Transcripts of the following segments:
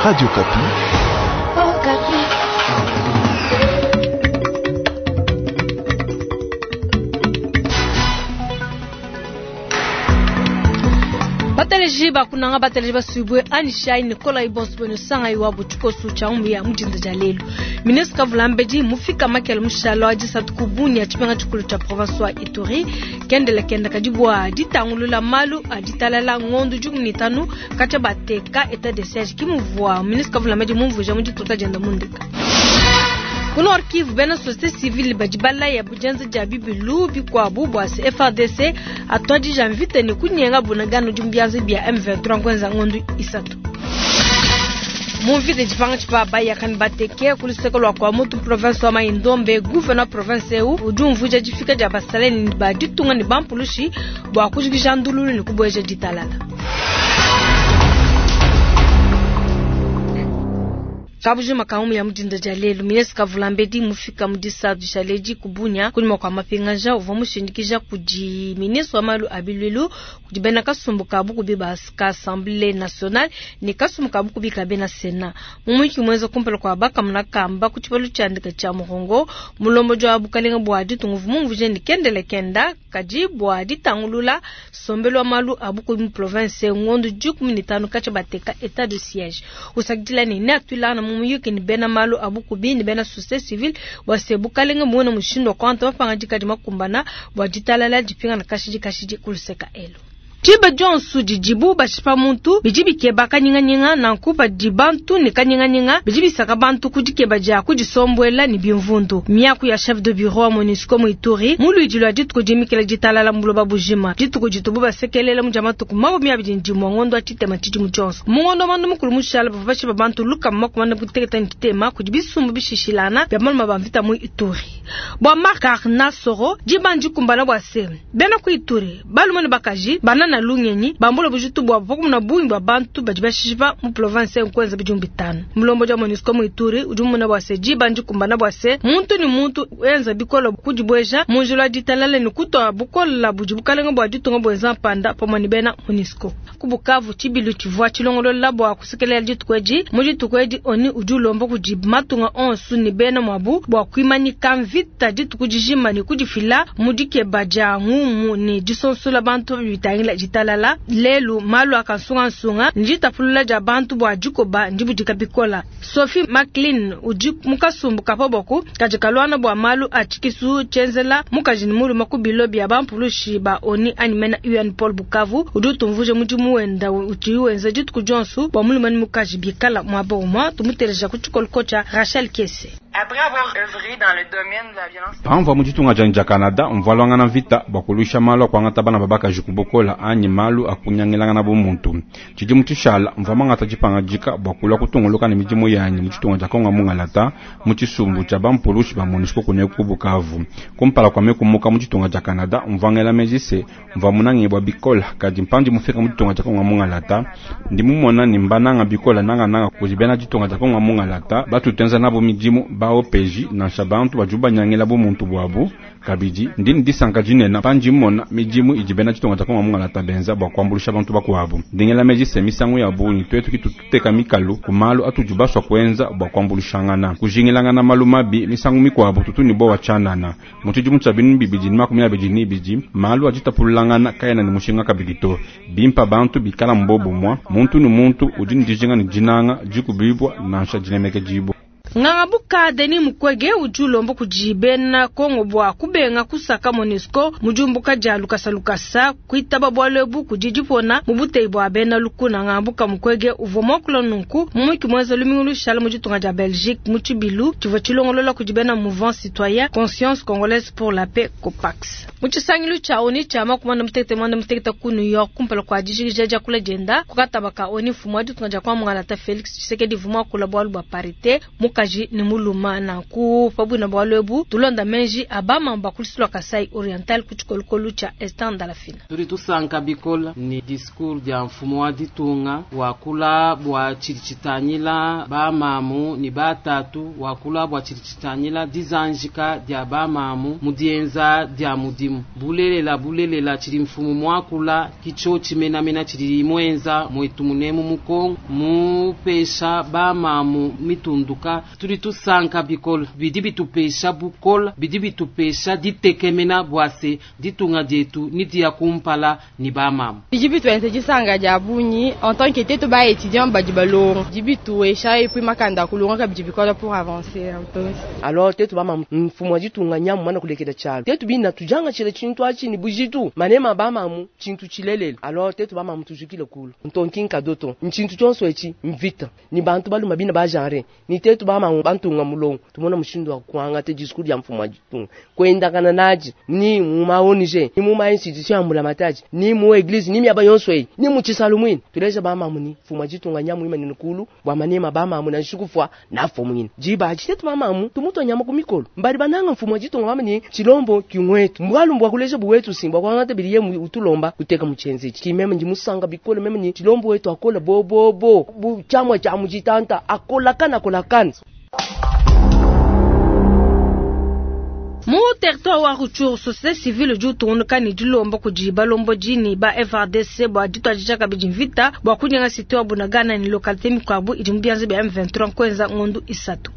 Radio Okapi. Okapi. Bateleji bakunanga bateleji basubwe anishai Nicolas Ibonso beno sanga iwabo tshikosu tsha umbi ya mudinda dia lelu. Ministre Kavulambedi mufika makele mushalo wa disatu ku Bunia tshipenga tshikulu tsha province wa Ituri kendele kenda kadi bua ditangulula malu a ditalala ngondo 15 katshia bateka état de siège kimuvua ministre Kavulambedi mumvuija mu dituta dienda mundika. Ku Nord Kivu bena société civile badi balaya bujenza dia bibilu bikuabu bua se FARDC atuadija mvita ne kunyenga bunagana udi mu bianza bia M23 kwenza ngondo isatu. Mu mvita dipanga tshipa bayakani bateke ku luseke lua kwa mutu province wa Mai-Ndombe gouverneur province eu udi umvuija difika dia basaleni ba ditunga ne bampulushi bua kujikija ndululu ne kubueja ditalala. Kabujima kaumu ya mudinda dia lelu ministre Kavulambedi mufika mu disatu dishaledi ku Bunia kunyima kua mapingaja uvua mushindikija kudi ministre wa malu a bilwilu kudi bena kasumbu ka bukubi ba ka Assemblée nationale ne kasumbu ka bukubi ka bena Sénat. Mu muyiki muenza kumpala kua bakamuna kamba ku tshibalu tshiandika tshia Murongo mulombodi wa bukalenga bua ditunga uvua mumvuije ne kendele kenda kadi bua ditangulula sombelu wa malu a bukubi mu province ngondo 15 katshia bateka état de siège. Usakidila ne neatuilangana mu muyuki ne bena malu a bukubi ne bena société civile bua se bukalenga muone mushindu wa kuangata mapangadika adi makumbana bua ditalala dipingana kashidi kashidi ku luseka elu. Tshiba dionso didibu bashipa muntu bidi bikeba kanyinganyinga nanku padi bantu ne kanyinganyinga bidi bisaka bantu ku dikeba dia kudisombuela ne bimvundu. Miaku ya chef de bureau wa MONUSCO mu Ituri mu luidi lua dituku dimikila ditalala mu buloba bujima dituku ditubu basekelela mu dia matuku 21 ngondo wa tshitema tshidimu tshionso. Mu ngondo wa manda mukulu mushala bavua bashipa bantu lukama makumi ane kuteketa ne tshitema kudi bisumbu bishishilana bia malume ba mvita mu Ituri. Bua Marc Arnasoro diba ndikumbana bua se bena ku Ituri balume ne bakaji banana lungenyi bambula bujitu bua pakumuna bungi bua bantu badi bashipa mu province nkwenza bidimu bitanu. Mulombodi wa MONUSCO mu Ituri udi mumona bua se diba ndikumbana bua se muntu ne muntu enza bikola kudibueja mu njila wa ditalala ne kutua bukola budi bukalenga bua ditunga buenza mpanda pamue ne bena MONUSCO. Ku Bukavu tshibilu tshivua tshilongolola bua kusekelela dituku edi. Mu dituku edi ONU udi ulomba kudi matunga onso ne bena muabu bua kuimanyika mvita dituku dijima ne kudifila mu dikeba dia ngumu ne disonsola bantu bitangila ditalala. Lelu malu a kansungansunga nditapulula dia bantu bua dikoba ndibudika bikola. Sophie McLean udi mu kasumbu ka paboku kadi kaluana bua malu a tshikisu tshienzela mukaji ne mulume ku bilo bia bampulushi ba ONU anyi mena UN Paul Bukavu udi utumvuija mudimu wenda uti wenza dituku dionso bua mulume ne mukaji bikala muaba umue. Tumuteleja ku tshikoloko tshia Rachel Kese. Après avoir œuvré dans le domaine de la violence Pamvua mu ditunga dianyi dia Canada mvua luangana mvita bua kuluisha malu a kuangata bana ba bakaji ku bukola anyi malu a kunyangilangana bu muntu. Tshidimu tshishala mvua mangata dipangadika bua kulua kutunguluka ne midimu yanyi mu ditunga dia Kongo mungalata mu tshisumbu tshia bampulushi ba MONUSCO kuneku ku Bukavu. Kumpala kua mekumuka mu ditunga dia Canada mvua ngela meji se mvua munangibua bikola kadi mpandi mufika mu ditunga dia Kongo mungalata ndi mumona ne mbananga bikola nangananga kudi bena ditunga dia Kongo mungalata batutenza nabo midimu ba OPJ nansha bantu badi banyangila bu muntu bwabu kabidi ndi ne disanka dinene pandi mmona midimu idi bena ditunga dia Kongo mungalata benza bua kuambuluisha bantu bakuabu. Ndingela meji se misangu ya bungi tuetu kitu tuteka mikalu ku malu atudi basua kuenza bua kuambuluishangana kujingilangana malu mabi misangu mikuabu tutu ne bowa tshianana. Mu tshidimu tshia 2022 malu aditapululangana kaena ne mushinga kabidi to. Bimpa bantu bikala mbobumua muntu ne muntu udi ne dijinga ne dinanga dikubibua nansha dinemeke dibua. Ngangabuka Denis Mukwege udi ulomba kudi bena Kongo bua kubenga kusaka MONUSCO mu diumbuka dia lukasa lukasa kuitaba bualu ebu kudi dipona mu buteyi bua bena lukuna. Ngangabuka Mukwege uvua muakula nunku mu muyuki muenza lumingu lushala mu ditunga dia Belgique mu tshibilu tshivua tshilongolola kudi bena Mouvement Citoyen Conscience Congolaise pour la Paix COPAX. Mu tshisangilu tshia ONU tshia 56 ku New York kumpala kua dijikija diakula dienda ku kataba ka ONU mfumu wa ditunga dia Kongo Mungalata Felix Tshisekedi uvua muakula bualu bua parité mukaji. mukaji ne muluma. Nanku pa buina bualu ebu tulonda menji a bamamu ba ku lusu lua Kasai Oriental ku tshikolokolu tshia Esther Ndalafina. Tudi tusanka bikola ni discours dia mfumu wa ditunga wakula bua tshidi tshitangila bamamu ni batatu, wakula bua tshidi tshitangila dizanjika dia bamamu mu dienza dia mudimu. Bulelela bulelela tshidi mfumu mwakula kicho chimenamena tshidi mwenza mwetu munemu mukongo mupesha bamamu mitunduka. Tudi tusanka bikola bidi bitupesha bukola bidi bitupesha ditekemena bwase ditunga dietu ni dia kumpala ni bamamu. Bidi bituenze disanga dia bunyi en tant que tetu ba étudiant badi balonga bidi bituesha et puis makanda kulonga kabidi bikola pour avancer un peu. Alors tetu bamamu mfumu wa ditunga nyamu mana kulekela tshalo tetu bina tujanga tshile tshintu atshi ni bujitu manema bamamu tshintu tshilelele. Alors tetu bamamu tujukile kulu ntonkinka doto ntshintu tshonso etshi mvita ni bantu baluma bina ba genre ni tetu bamamu bantunga mulongo tumona mushindu wa kuanga te discours ya mfumu wa ditunga kwendakana naji ni mu ma ONG ni mu ma institution ya mbulamatadi ni mu église ni miaba yonso eyi ni mu tshisalu mwini tuleja bamamu ni mfumu wa ditunga nyamu ima ni kulu bwa manema bamamu na nshikufwa na mfumu jiba aji tetu bamamu tumuto nyama ku mikolo mbali bananga mfumu wa ditunga mama ni chilombo kimwetu mbwalu mbwa kuleja buwetu simbwa kwangata biliye mu utulomba kuteka muchenzi kimeme ndi musanga bikolo meme ni chilombo wetu akola bobobo bu chamwa cha mujitanta akola kana akola kana. Mu territoire wa Rutshuru, société civile udi utungunuka ne dilomba kudi balombodi ne ba FARDC bua dituadija kabidi mvita bua kunyenga cité wa Bunagana ne localité mikuabu idi mu bianza bia M23 nkuenza ngondu isatu.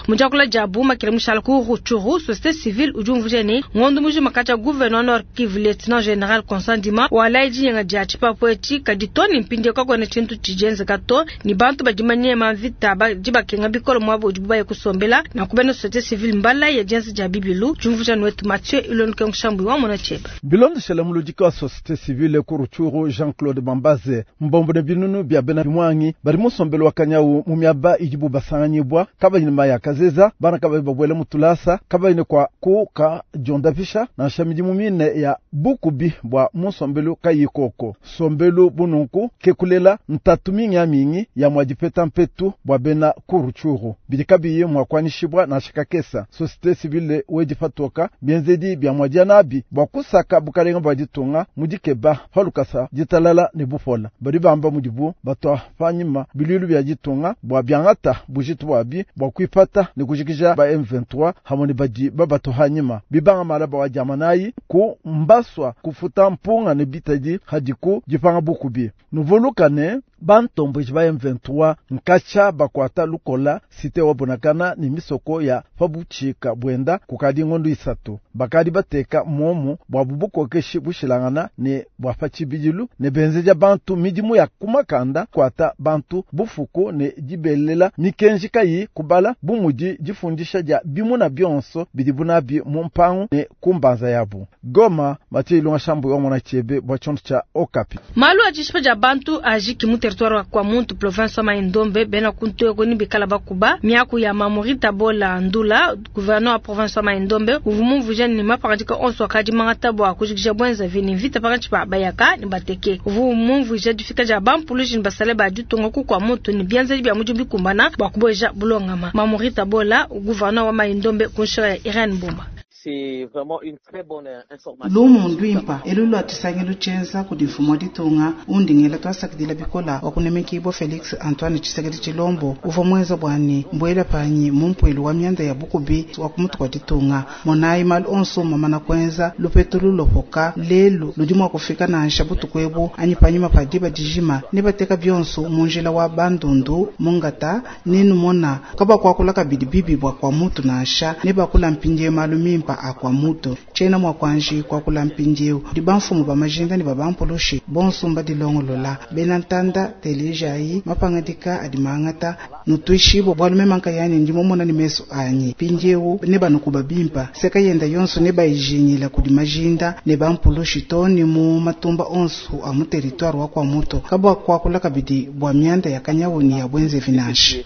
Mu diakula dia Makele mushala ku Rutshuru, société civile udi umvuija ne ngondu mujima katshia gouverneur Nord Kivu lieutenant général Constant Ndima walayi dinyenga dia tshipapu etshi kadi to ne mpindieu kakuena tshintu tshidienzeka to ne bantu badi manyema mvita badi bakenga bikole muaba udibu baye kusombela nanku bena société civile mbala ya dienza dia bibilu. Jumvuja wetu Mathieu Ilonuke Nshambu wa mona cheba. Bilondeshela muludiki wa société civile ku Rutshuru Jean-Claude Bambaze mbombo ne binunu bia bena bimwangi bari musombelo wa kanyawu mu miaba idibu basanganyibwa kabayini maya kazeza bana kabayi babwele mutulasa kabayini kwa kuka jondapisha na nshamidi mumine ya bukubi bwa musombelo kayikoko sombelo bununku kekulela ntatu mingi ya mingi ya mwadipeta mpetu bwa bena ku Rutshuru bidi kabiyi mwakwanishibwa na shikakesa société civile wedi toka bienzedi bia mwadianabi bwa kusaka bukalenga bwa ditunga mudikeba palukasa ditalala ne bupola badi bamba mudibu batwa panyima bilulu bia ditunga bwa biangata bujitu bwabi bwa kuipata ne kujikija ba M23 hamwe ne badi babato hanyima bibanga malaba wa jamanayi ku mbaswa kufuta mpunga ne bitadi hadiku dipanga bukubi nuvolukane bantomboji ba M23 nkacha bakwata lukola site wa Bunagana ni misoko ya fabuchika bwenda kukadi ngondo isatu bakadi bateka momu bwa bubukokeshi bushilangana ne bwa fachibijilu ne benzeja bantu midimu ya kumakanda kwata bantu bufuku ne dibelela mikenji kayi kubala bumudi difundisha dia bimuna bionso bidi bunabi mu mpangu ne kumbanza yabu. Goma Mathieu Ilunga Shambu wa mwana chebe bwa chonto cha Okapi. Malu ajishipa ja bantu ajiki mu territoire kwa muntu province wa Mai-Ndombe bena kuntu ni bikala bakuba miaku ya Mamorita Bola Ndula gouverneur wa province wa Mai-Ndombe uvumumvuja ni mapangadika onso akadi mangata bua kujikija bwenza vini vita pakatshi pa bayaka ni bateke uvumumvuja difika dia bampulushi ni basale ba ditunga ku kwa muntu ni bianzeli bia mujumbi kumbana bua kuboja bulongama. Mamorita Bola gouverneur wa Mai-Ndombe kunshira ya Irene Mbomba. C'est vraiment une très bonne information. Lumu ndwimpa elulu atusangilu tshenza kudi mfumu wa ditunga undingela twasakidila bikola wa kunemekibwa Felix Antoine Tshisekedi Tshilombo uvua mwenza bwani mbwela panyi mumpwelu wa mianda ya bukubi wa kumutu kwa ditunga monayi malu onso mamana kwenza lupetu lulopoka lelu ludi mua kufika nansha butuku ebu anyi panyima pa diba dijima ne bateka bionso munjila wa bandundu mungata nenu mona kabakuakula kabidi bibi bwa kwa mutu nansha ne bakula mpindie malu mimpa akwa mutu tshena mwa kwanji kwakula mpindieu di bamfumu ba majinda ne babampulushi bonso mbadilongolola bena ntanda telejayi mapangadika adi mangata nutwishibo bwalu memanka yani ndimo mona ni meso anyi mpindieu ne banukuba bimpa seka yenda yonso ne bayijinyila kudi majinda ne bampulushi to ni mu matumba onso a mu territoire wa kwa mutu kabwa kwakula kabidi bwa mianda ya kanyawuni ya bwenze vinanshi.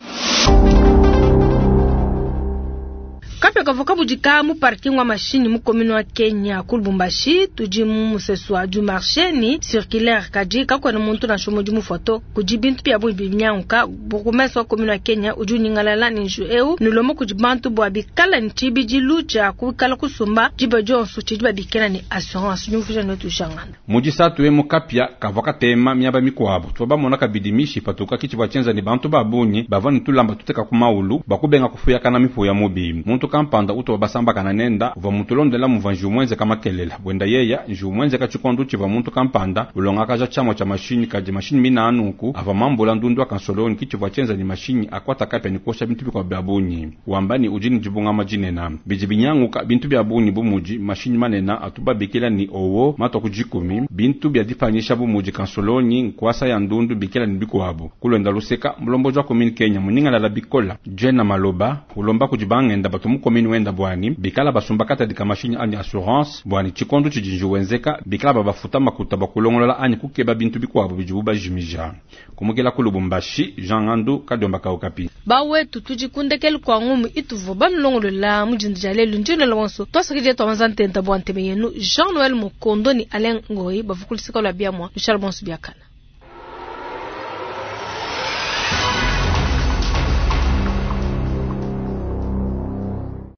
Kapia kavua kabudika mu parking wa mashinyi mu commune wa Kenya ku Lubumbashi, tudi mu musesu wa du marché ni circulaire kadi kakuena muntu nansha umue udi mufua to. Kudi bintu bia bungi binyanguka. Bourgmestre wa commune wa Kenya udi unyingalala ne njiwu eu ne ulomba kudi bantu bua bikala ne tshibidilu tshia kuikala kusumba diba dionso tshidi babikila ne assurance. Nyumvuija netu Janganda. Mu disatu emu kapia kavua katema miaba mikuabu. Tuvua bamona kabidi mishi ipatuka ki tshivua tshienza ne bantu ba bungi bavua ne tulamba tuteka ku maulu bua kubenga kufuyakana mipuya mubi. Muntu kampanda utuvua basambakana nenda uvua mutulondela muvua njiwu muenzeka makelela. Buenda yeya njiwu muenzeka tshikondo tshivua muntu kampanda ulongakaja tshiamua tshia mashinyi kadi mashinyi mina nunku avua mambula ndundu wa kansolonyi ki tshivua tshienza ne mashinyi akuata kapia ne kuosha bintu bikuabu bia bungi. Wamba ne udi ne dibungama dinena. Bidi binyanguka bintu bia bungi bu mudi mashinyi manene atu babikila ne owo matua ku dikumi, bintu bia dipanyisha bu mudi kansolonyi, nkuasa ya ndundu bikila ne bikuabu. Kulwenda luseka mulombodi wa commune Kenya munyingalala bikola Jena Maloba ulomba kudi bangenda batu mu commune wenda bwani bikala basumba katadi ka mashinyi anyi assurance bwani tshikondo tshidi njiwu wenzeka bikala babafuta makuta bakulongolola anyi kukeba bintu bikuabu bidibu bajimija. Kumukila ku Lubumbashi, Jean Ngandu kadiomba ka Okapi. Bawetu tudi kundekelu kwa ngumu ituvua banulongolola mu dindi dia lelu ndionela wonso twasakidila twamanza ntenta bua nteme yenu Jean Noël Mukondo ni Alain Ngoyi bavua ku luseka lua biamua lushala bonso biakana.